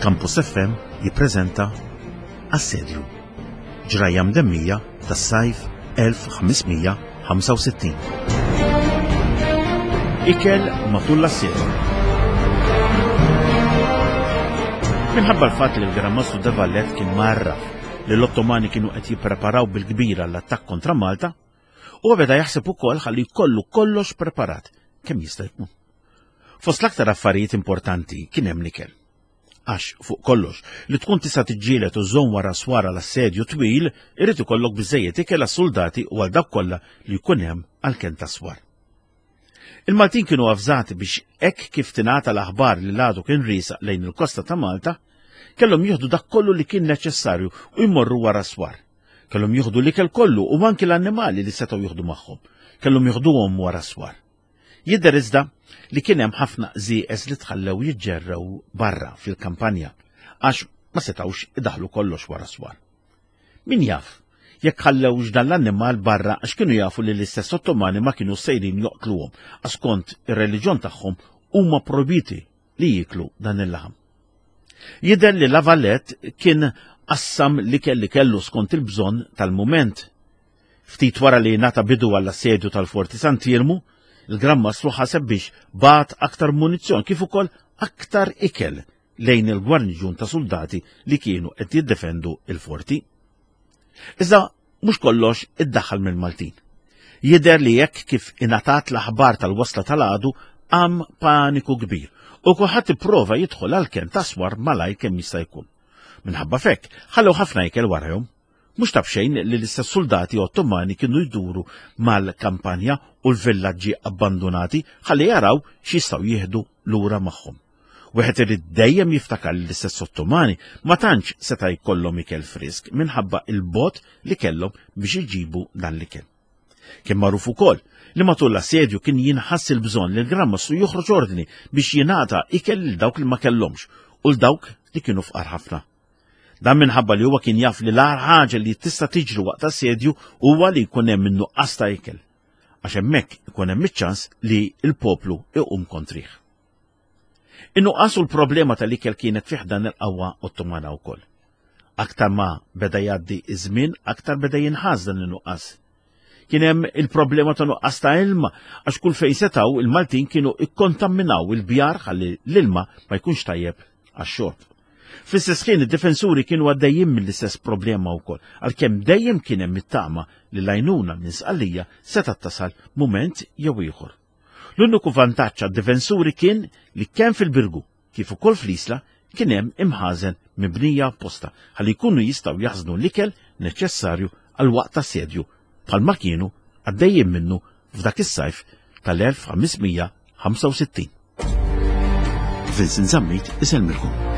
Campus FM jippreżenta Assedju. Ġrajja mdemmija tas-sajf 1565. Ikel matul l-assedju. Minħabba l-fatt li l-Gran Mastru de Vallet kien marraf li l-Ottomani kienu qed jippreparaw bil-kbira l-attakk kontra Malta, huwa beda jaħseb ukoll ħalli jkollu kollox preparat kemm jista' jkun. Fost l-aktar affarijiet importanti kien hemm l-ikel. Għax, fuq kollox, li tkun tista' tiġġieled u żżomm wara swar għal assedju twil, irid ikollok biżżejjed ikel għas-suldati u għal dawk kollha li jkun hemm għall-kenn tas-swar. Il-Maltin kienu avżati biex hekk kif tingħata l-aħbar li l-għadu kien riesaq lejn il-kosta ta' Malta, kellhom jieħdu dak kollu li kien neċessarju u jmorru wara s-swar. Kellhom jieħdu l-ikel kollu u anki l-annimali li setgħu jieħdu magħhom. Kellhom jieħduhom wara s-swar. Jidher iżda li kien hemm ħafna qżieqeż li tħallew jiġġerrew barra fil-kampanja għax ma setgħux idaħlu kollox wara s-swar. Min jaf jekk ħallewx dan l-annimal barra għax kienu jafu li l-istess Ottomani ma kienu sejrin joqtluhom għax skont ir-reliġjon tagħhom huma projbiti li jieklu dan il-laħam. Jidher li La Valette kien qassam l-ikel li kellu skont il-bżonn tal-mument. Ftit wara li ngħata bidu għall-assedju tal-Forti Sant'Iermu, il-Gran Mastru ħaseb biex bagħat aktar munizzjon kif ukoll aktar ikel lejn il-gwarniġjun ta' suldati li kienu qed jiddefendu il-forti. Iżda mhux kollox iddaħħal mill-Maltin. Jidher li hekk kif ingħatat l-aħbar tal-wasla tal-għadu qam paniku kbir u kulħadd ipprova jidħol għall-kenn ta' swar malajr kemm jista' jkun. Minħabba f'hekk, ħallew ħafna ikel warajhom. Mhux ta' b'xejn li l-istess suldati Ottomani kienu jduru mal-kampanja u l-villaġġi abbandunati ħalli jaraw x'jistgħu jieħdu lura magħhom. Wieħed irid dejjem jiftakar li l-istess Ottomani ma tantx seta' jkollhom ikel frisk minħabba il-bogħod li kellhom biex iġibu dan l-ikel. Kien magħruf ukoll li matul l-assedju kien jinħass il-bżonn li l-Gran Mastru joħroġ ordni biex jingħata ikel lil dawk li ma kellhomx u l dawk li kienu fqar ħafna. Dan minħabba li huwa kien jaf li l-agħar ħaġa li tista' tiġri waqt assedju huwa li jkun hemm in-nuqqas ta' ikel. Għax hemmhekk ikun hemm iċ-ċans li l-poplu iqum kontrih. In-nuqqas u l-problema tal-ikel kienet fi ħdan il-qawwa Ottomana wkoll. Aktar ma beda jgħaddi iż-żmien, aktar beda jinħass dan in-nuqqas. Kien hemm il-problema ta' nuqqas ta' ilma għax kull fejn setgħu il-Maltin kienu ikkontaminaw il-bjar ħalli l-ilma ma jkunx tajjeb għax-xorb. Fl-istess ħin id-difensuri kienu għaddejjin mill-istess problema wkoll, għalkemm dejjem kien hemm it-tama li l-għajnuna minn Sqallija setgħet tasal mument jew ieħor. L-uniku vantaġġ għad-difensuri kien li kemm fil-Birgu kif ukoll fl-Isla kien hemm imħażen mibnija apposta ħalli jkunu jistgħu jaħżnu l-ikel neċessarju għal waqt assedju bħalma kienu għaddejjin minnu f'dak is-sajf tal-1565. Vincent Zammit isellmilkom.